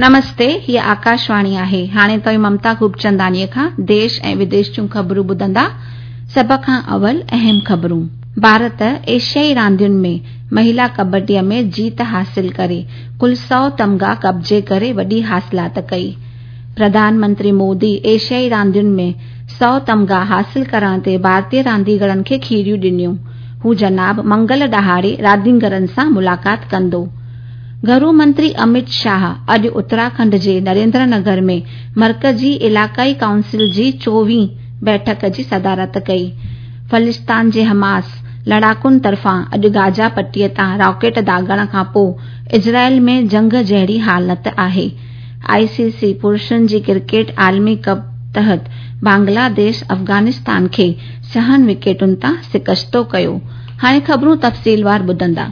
نمستي، هيء آڪاشواڻي آهي. هاڻي توهين ممتا خوبچنداڻيء کان ديش ۽ وديش جون خبرون ٻڌندا. سڀ کان اول اهم خبرون. ڀارت ايشيائي راندين ۾ مهلا ڪٻڊيء ۾ جيت حاصل ڪري ڪل سؤ تمغا قبضي ڪري وڏي حاصلات ڪئي. پرڌان منتري مودي ايشيائي راندين ۾ سؤ تمغا حاصل ڪرڻ تي ڀارتي رانديگرن کي کيريون ڏنيون. هو جناب منگل ڏهاڙي رانديگرن سان ملاقات ڪندو. گهرو منتري امت شاهه اڄ اتراکنڊ جي نريندر نگر ۾ مرڪزي علائقائي ڪائونسل جي چوويهين بيٺڪ جي صدارت ڪئي. فلسطين جي حماس لڙاڪن طرفان اڄ گازا پٽي تان راڪيٽ داغڻ کانپوء اسرائيل ۾ جنگ جهڙي حالت آهي. آء سي سي پرشن جي ڪرڪيٽ عالمي ڪپ تحت بنگلاديش افغانستان کي ڇهن وڪيٽن تان شڪستو ڪيو. هاڻي خبرون تفصيلوار ٻڌندا.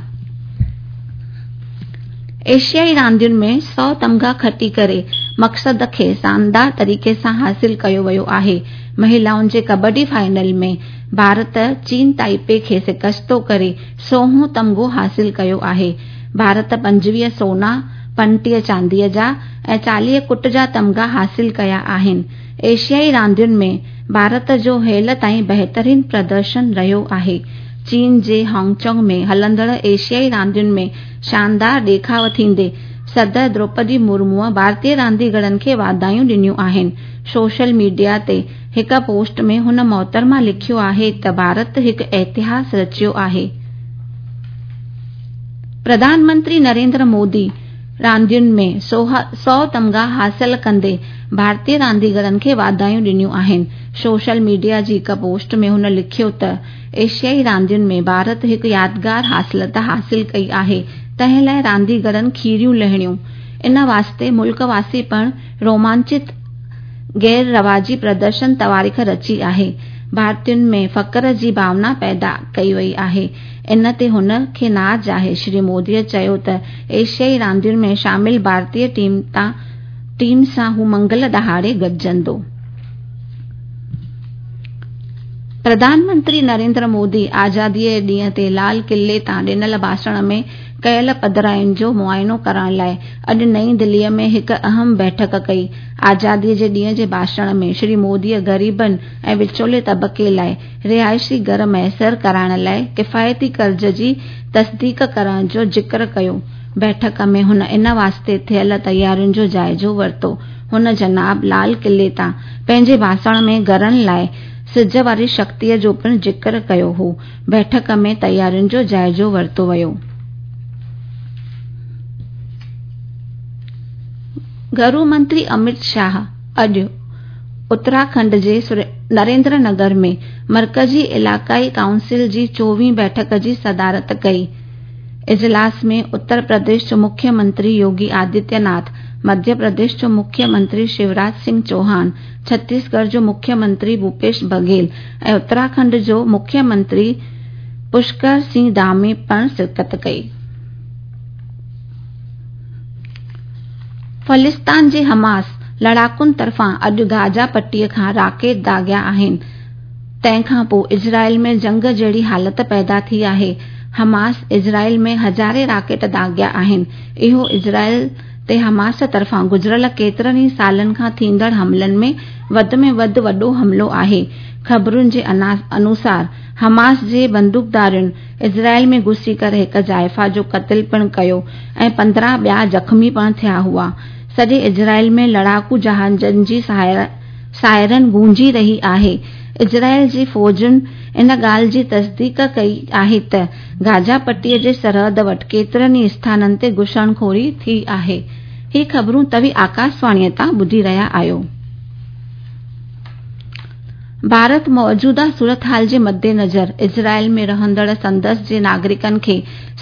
ايشيائي راندين ۾ سؤ تمغا کٽي ڪري مقصد کي شاندار طريقي سان حاصل ڪيو ويو آهي. مهلائن جي ڪٻڊي فائنل ۾ ڀارت چين تائپي کي شڪستو ڪري سوهون تمغو حاصل ڪيو آهي. ڀارت 25 سونا، 35 چانديء جا ۽ 40 ڪٽ جا تمغا حاصل ڪيا آهن. ايشيائي راندين ۾ ڀارت جو هيل تائين بهترين پردرشن رهيو آهي. چين جي هانگچونگ ۾ هلندڙ ايشيائي راندين ۾ شاندار ڏيکاء ٿيندي صدر دروپدي مرموء ڀارتي رانديگرن کي واڌايون ڏنيون آهن. سوشل ميڊيا تي هڪ پوسٽ ۾ هن محترمه لکيو آهي ته ڀارت هڪ اتهاس رچيو آهي. پرڌان منتري نريندر مودي راندين ۾ سؤ تمغا حاصل ڪندي ڀارتي رانديگرن کي واڌايون ڏنيون آهن. سوشل ميڊيا جي هڪ پوسٽ ۾ هن لکيو ته ايشيائي راندين ۾ ڀارت هڪ يادگار حاصلت حاصل ڪئي آهي، تنهن لاء رانديگرن کيريون لهڻيون. ان واسطي ملڪ واسي پڻ رومانچت غير رواجي پردرشن تواريخ رچي آهي. ڀارتين ۾ فخر جي ڀاونا پيدا ڪئي وئي آهي. ان تي هن کي ناز آهي. شري مودي چيو ته ايشيائي راندين ۾ شامل ڀارتي ٽيم سان هو منگل ڏهاڙي گڏجندو. پرڌان منتري نريندر مودي آزاديء جي ڏينهن تي لال قلعي تان ڏنل ڀاشڻ ۾ ڪيل پڌراين جو معائنو ڪرڻ لاء اڄ نئين دهليء ۾ هڪ اهم بيٺڪ ڪئي. آزاديء جي ڏينهن جي ڀاشڻ ۾ شري موديء غريبن ۽ وچولي طبقي لاء رهائشي گهر ميسر ڪرائڻ لاء ڪفايتي قرض جي تصديق ڪرڻ جو ذڪر ڪيو. بيٺڪ ۾ هن ان واسطي ٿيل تيارين جو جائزو ورتو. هن جناب لال قلعي تان پنهنجي ڀاشڻ ۾ گهرن لاء سج واري شڪتيء جو پڻ ذڪر ڪيو هو. بيٺڪ ۾ تيارين جو جائزو ورتو ويو. گهرو منتري امت شاهه اڄ اتراکنڊ جي نريندر نگر ۾ مرڪزي علائقائي ڪائونسل جي چوويهين بيٺڪ جي صدارت ڪئي. اجلاس ۾ اتر پرديش جو مکيه منتري يوگي آدتيه ناٿ، مڌيه پرديش جو مکيه منتري شيوراج سنگهه چوهان، ڇتيسڳڙهه جو مکيه منتري ڀوپيش بگهيل ۽ اتراکنڊ جو مکيه منتري پشڪر سنگهه ڌامي پڻ شرڪت ڪئي. فلسطين جي حماس لڙاڪن طرفان اڄ گازا پٽي کان راڪيٽ داغيا آهن، تنهن کان پوء اسرائيل ۾ جنگ جهڙي حالت پيدا ٿي آهي. حماس اسرائيل ۾ هزارين راڪيٽ داغيا آهن. اهو اسرائيل تي حماس طرفان گذريل ڪيترن ئي سالن کان ٿيندڙ حملن ۾ وڌ ۾ وڌ وڏو حملو آهي. خبرن جي انوسار حماس جي بندوقڌارين اسرائيل ۾ گهسي ڪري هڪ زائفه جو قتل پڻ ڪيو ۽ 15 ٻيا زخمي پڻ ٿيا هئا. سڄي اسرائيل ۾ لڙاڪو جهازن جي سائرن گونجي رهي آهي. اسرائيل جي فوجن ان ڳالهه جي تصديق ڪئي آهي ته گازا پٽي جي سرحد وٽ ڪيترن ئي اسٿانن تي گهسڻخوري ٿي آهي. هي خبرون توهين آڪاشواڻيء تان ٻڌي رهيا آهيو. ڀارت موجوده صورتحال جي مدنظر اسرائيل ۾ رهندڙ سندس جي ناگرڪن کي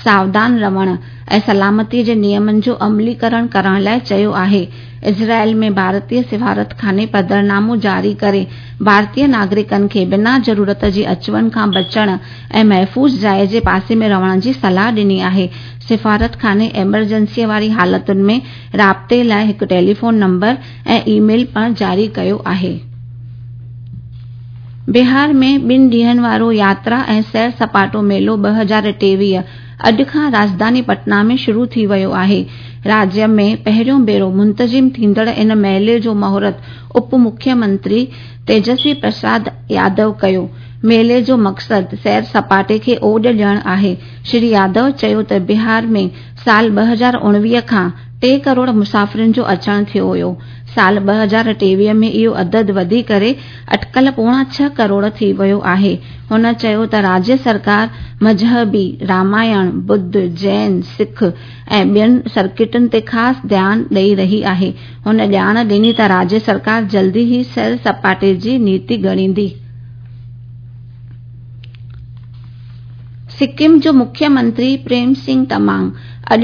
ساوڌان رهڻ ۽ سلامتي جي نيمن جو عملي ڪرڻ ڪرڻ لاء چيو آهي. اسرائيل ۾ ڀارتي سفارتخاني پڌرنامو جاري ڪري ڀارتي ناگرڪن کي بنا ضرورت جي اچ وڃ کان بچڻ ۽ محفوظ جاء جي پاسي ۾ رهڻ جي صلاح ڏني آهي. سفارتخاني ايمرجنسي واري حالتن ۾ رابطي لاء هڪ ٽيليفون نمبر ۽ اي ميل پڻ جاري ڪيو آهي. بهار ۾ ٻن ڏينهن وارو ياترا ۽ سير سپاٽو ميلو 2023 اڄ کان راڄڌاني پٽنا ۾ شروع ٿي ويو آهي. راجيه ۾ پهريون ڀيرو منتظم ٿيندڙ ان ميلي جو مهورت اپ مکيه منتري تيجسوي پرساد يادو ڪيو. ميلي جو مقصد سير سپاٽي کي اوڄ ڏيڻ آهي. شري يادو چيو ته بهار ۾ سال 2019 کان 3 ڪروڙ مسافرن جو اچڻ ٿيو هيو. سال 2023 ۾ اهو عدد وڌي ڪري اٽڪل 5.75 ڪروڙ ٿي ويو آهي. هن چيو ته راجيه سرڪار مذهبي، رامائڻ، ٻڌ، جين، سک ۽ ٻين سرڪٽن تي خاص ڌيان ڏئي رهي آهي. هن ڄاڻ ڏني ته راجيه سرڪار جلدي ئي سير سپاٽي جي نيتي ڳڻيندي. سڪم جو مکيه منتري پريم سنگهه تمانگ اڄ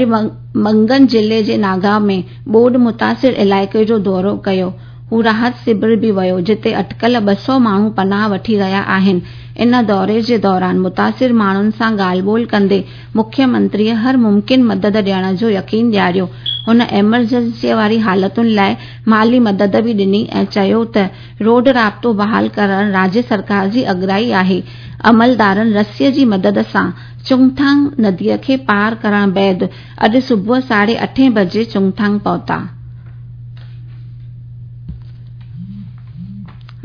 منگن ضلعي جي ناگائون ۾ ٻوڏ متاثر علائقي جو دورو ڪيو. هو راحت شور به ويو، جتي اٽڪل 200 ماڻهو پناهه وٺي رهيا آهن. ان دوري جي دوران متاثر ماڻهن سان ڳالهه ٻولهه ڪندي مکيه منتريء هر ممڪن مدد ڏيڻ جو يقين ڏياريو. هن ايمرجنسيء واري حالتن لاء مالي مدد به ڏني ۽ چيو ته روڊ رابطو بحال ڪرڻ راجيه سرڪار جي اڳرائي آهي. عملدارن رسيء جي مدد سان چنگٿانگ نديء کي پار ڪرڻ بعد اڄ صبح 8:30 بجي چنگٿانگ پهتا.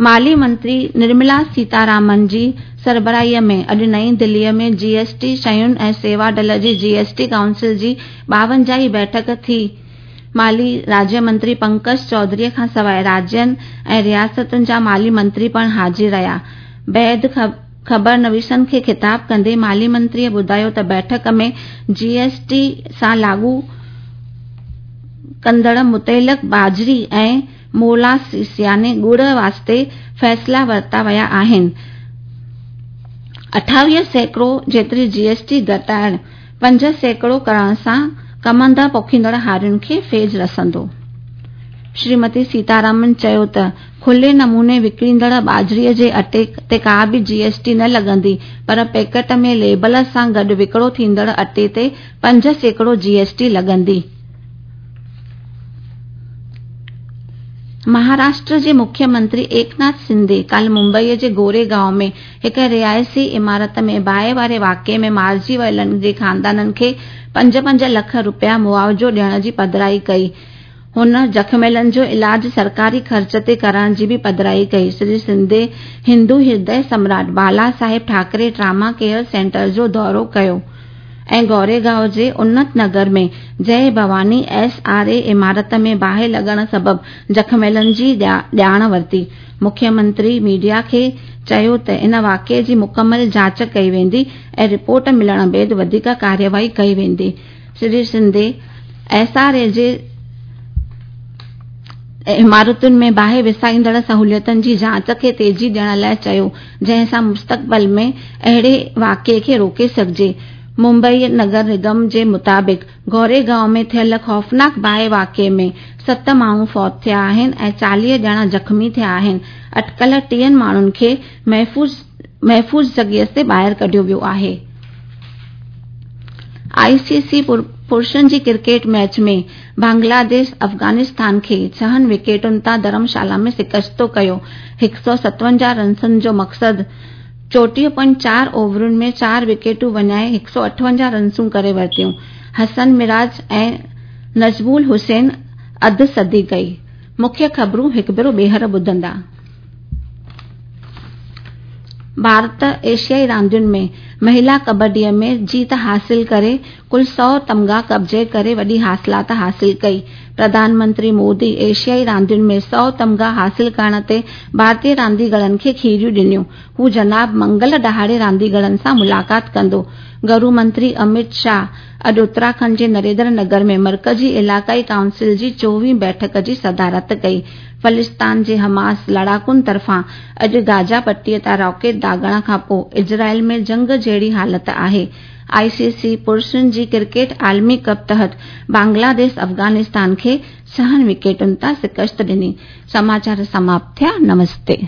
مالي منتري نرملا سيتارامن جي سربراهيء ۾ اڄ نئين دهليء ۾ جي ايس ٽي شين ۽ سيوا ڊل جي جي ايس ٽي ڪائونسل جي 52 هين بيٺڪ ٿي. مالي راجيه منتري پنڪج چوڌريء کانسواء راجين ۽ رياستن جا مالي منتري پڻ حاضر رهيا. بعد خبرنويسن کي خطاب ڪندي مالي منتريء ٻڌايو ته بيٺڪ ۾ جي ايس ٽي سان لاڳو ڪندڙ متعلق ٻاجهري ۽ مولاسس يعني ڳڙ واسطي فيصلا ورتا ويا آهن. 28% جيتري جي ايس ٽي گهٽائڻ 5% ڪرڻ سان ڪمند پوکيندڙ هارين کي فيض رسندو. شريمتي سيتارامن چيو ته کلي نموني وڪڻيندڙ ٻاجهري جي اٽي تي ڪا به جي ايس ٽي نه لڳندي پر پيڪيٽ ۾ ليبل سان گڏ وڪرو ٿيندڙ اٽي تي 5% جي ايس ٽي لڳندي. مهاراشٽر جي مکيه منتري ايڪناٿ شندي ڪالهه ممبئي جي گوري گائون ۾ هڪ رهائشي عمارت ۾ باهه واري واقعي ۾ مارجي ويلن جي خاندانن کي 5-5 لک رپيا معاوضو ڏيڻ جي پڌرائي ڪئي. هن زخميلن جو علاج سرڪاري خرچ تي ڪرڻ جي به پڌرائي ڪئي. شري شندي هندو هردي سمراٽ بالا صاحب ٺاڪري ٽراما ڪيئر سينٽر جو دورو ڪيو ۽ گوريگائون جي انت نگر ۾ جئه ڀواني ايس آر اي عمارت ۾ باهه لڳڻ سبب زخميلن جي ڄاڻ ورتي. مکيه منتري ميڊيا کي چيو ته ان واقعي جي مڪمل جاچ ڪئي ويندي ۽ رپورٽ ملڻ بعد وڌيڪ ڪارروائي ڪئي ويندي. شري شندي ايس آر اي جي عمارتن ۾ باهه وسائيندڙ سهولتن جي جاچ کي تيزي ڏيڻ لاء چيو جنهن سان مستقبل ۾ اهڙي واقعي کي روڪي سگهجي. ممبئي نگر نگم جي مطابق گوريگائون ۾ ٿيل خوفناڪ باهه واقعي ۾ 7 ماڻهو فوت ٿيا آهن ۽ 40 ڄڻا زخمي ٿيا آهن. اٽڪل 30 ماڻهن کي محفوظ جڳهه تي ٻاهر ڪڍيو ويو آهي. آء سي سي پرشن جي ڪرڪيٽ ميچ ۾ بنگلاديش افغانستان کي 6 وڪيٽن تان ڌرمشالا ۾ شڪست ڪيو. 157 رنسن جو مقصد 34.4 اوورن ۾ 4 وڪيٽون وڃائي 158 رنسون ڪري ورتيون. حسن مراج ۽ نجم الحسين اڌ صدي ڪئي. مکيه خبرون هڪ ڀيرو ٻيهر ٻڌندا. ڀارت ايشيائي راندين ۾ مهلا ڪٻڊيء ۾ جيت حاصل ڪري ڪل 100 تمغا قبضي ڪري وڏي حاصلات حاصل ڪئي. پرڌان منتري مودي ايشيائي راندين ۾ 100 تمغا حاصل ڪرڻ تي ڀارتي رانديگرن کي کيريون ڏنيون. هو جناب منگل ڏهاڙي رانديگرن سان ملاقات ڪندو. گهرو منتري امت شاهه اڄ اتراکنڊ جي نريندر نگر ۾ مرڪزي علائقائي ڪائونسل جي 24 بيٺڪ جي صدارت ڪئي. فلسطين جي حماس لڙاڪن طرفان اڄ گازا پٽي تان راڪيٽ داغڻ کانپوء اسرائيل ۾ جنگ جهڙي حالت آهي. آء سي سي پرشن جي ڪرڪيٽ عالمي ڪپ تحت بنگلاديش افغانستان کي 6 وڪيٽن تان شڪست ڏني. سماچار سماپت ٿيا. نمستي.